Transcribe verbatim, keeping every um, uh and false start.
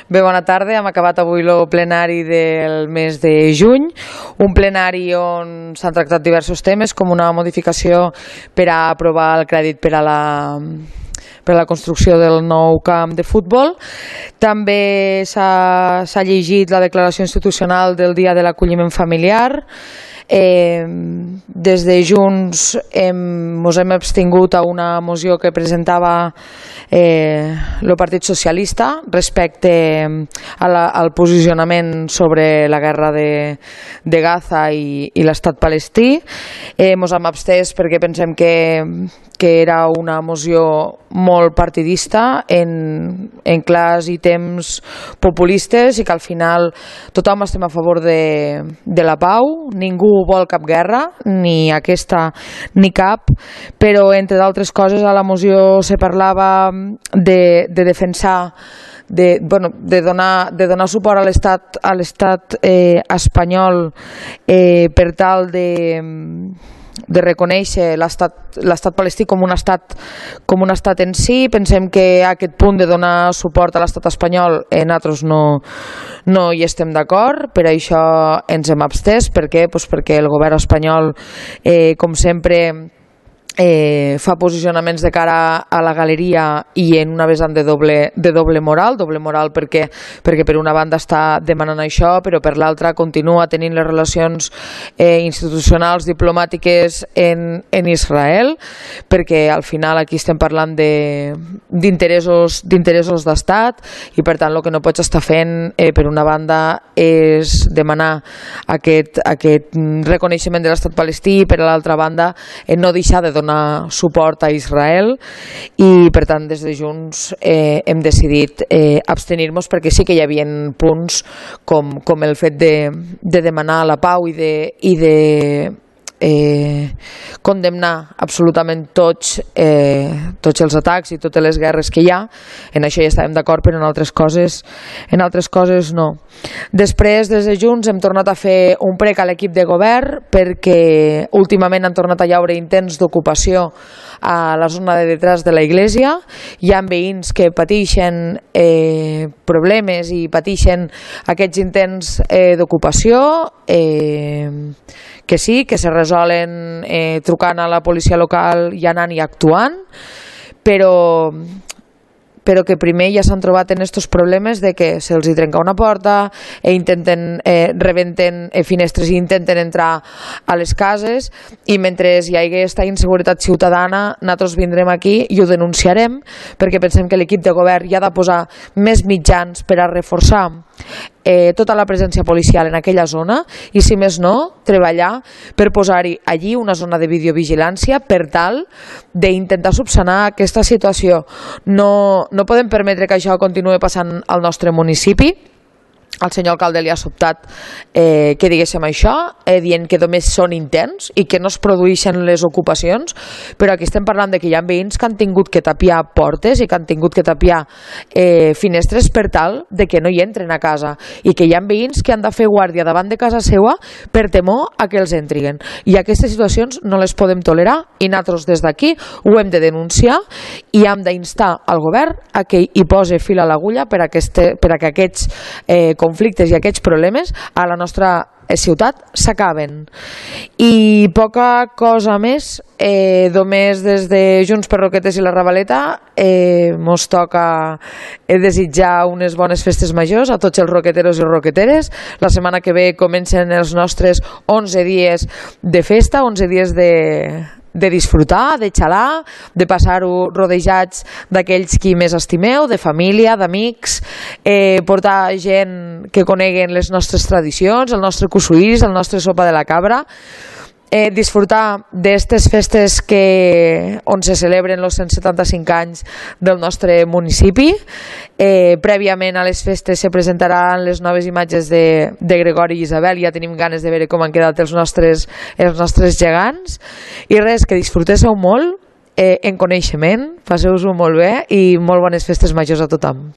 Bé, bona tarda. Hem acabat avui el plenari del mes de juny, un plenari on s'han tractat diversos temes, com una modificació per a aprovar el crèdit per a la per a la construcció del nou camp de futbol. També s'ha llegit la declaració institucional del Dia de l'Acolliment Familiar. Eh, des de Junts hem, ens hem abstingut a una moció que presentava eh, el Partit Socialista respecte a la, al posicionament sobre la guerra de, de Gaza i, i l'estat palestí. Eh, ens hem abstès perquè pensem que, que era una moció molt partidista en, en clars i temps populistes i que al final tothom estem a favor de, de la pau, ningú vol cap guerra, ni aquesta ni cap, però entre d'altres coses a la moció se parlava de, de defensar de, bueno, de, donar, de donar suport a l'estat a l'estat eh, espanyol eh, per tal de de reconèixer l'estat palestí com un estat com un estat en si. Pensem que aquest punt de donar suport a l'estat espanyol eh, nosaltres no, no hi estem d'acord, per això ens hem abstès. Per què? Pues perquè el govern espanyol, eh, com sempre, Eh, fa posicionaments de cara a la galeria i en una vessant de doble, de doble moral, doble moral perquè, perquè per una banda està demanant això, però per l'altra continua tenint les relacions eh, institucionals, diplomàtiques en, en Israel, perquè al final aquí estem parlant d'interessos d'interessos d'estat i per tant el que no pots estar fent eh, per una banda és demanar aquest, aquest reconeixement de l'estat palestí i per l'altra banda eh, no deixar de donar suport a Israel i per tant des de Junts eh, hem decidit eh, abstenir-nos perquè sí que hi havia punts com, com el fet de, de demanar la pau i de, i de eh, condemnar absolutament tots, eh, tots els atacs i totes les guerres que hi ha. En això ja estàvem d'acord, però en altres coses en altres coses no. Després, des de Junts, hem tornat a fer un prec a l'equip de govern perquè últimament han tornat a llaure intents d'ocupació a la zona de detrás de la Iglesia. Hi ha veïns que pateixen eh, problemes i pateixen aquests intents eh, d'ocupació eh, que sí, que se resolen eh, trucant a la policia local i anant i actuant, però però que primer ja s'han trobat en aquests problemes de que se'ls hi trenca una porta i intenten, eh, rebenten eh, finestres i intenten entrar a les cases i mentre hi hagi aquesta inseguretat ciutadana nosaltres vindrem aquí i ho denunciarem perquè pensem que l'equip de govern hi ha de posar més mitjans per a reforçar eh, tota la presència policial en aquella zona i si més no, treballar per posar-hi allí una zona de videovigilància per tal d'intentar subsanar aquesta situació. No, no podem permetre que això continuï passant al nostre municipi. Al senyor alcalde li ha sobtat eh, que diguéssim això, eh, dient que només són intents i que no es produeixen les ocupacions, però aquí estem parlant de que hi ha veïns que han tingut que tapiar portes i que han tingut que tapiar eh, finestres per tal de que no hi entren a casa i que hi ha veïns que han de fer guàrdia davant de casa seva per temor a que els entrin. I aquestes situacions no les podem tolerar i nosaltres des d'aquí ho hem de denunciar i hem d'instar al govern a que hi posi fil a l'agulla per a, aquest, per a que aquests eh, conflictes i aquests problemes a la nostra ciutat s'acaben. I poca cosa més, eh, només des de Junts per Roquetes i la Ravaleta eh, mos toca eh, desitjar unes bones festes majors a tots els roqueteros i roqueteres. La setmana que ve comencen els nostres onze dies de festa, onze dies de de disfrutar, de xalar, de passar-ho rodejats d'aquells qui més estimeu, de família, d'amics, eh, portar gent que coneguen les nostres tradicions, el nostre cussuís, el nostre sopa de la cabra, eh, disfrutar d'aquestes festes que, on se celebren els cent setanta-cinc anys del nostre municipi. Eh, prèviament a les festes se presentaran les noves imatges de, de Gregori i Isabel, ja tenim ganes de veure com han quedat els nostres, els nostres gegants i res, que disfrutéssiu molt eh, en coneixement, passeu-vos-ho molt bé i molt bones festes majors a tothom.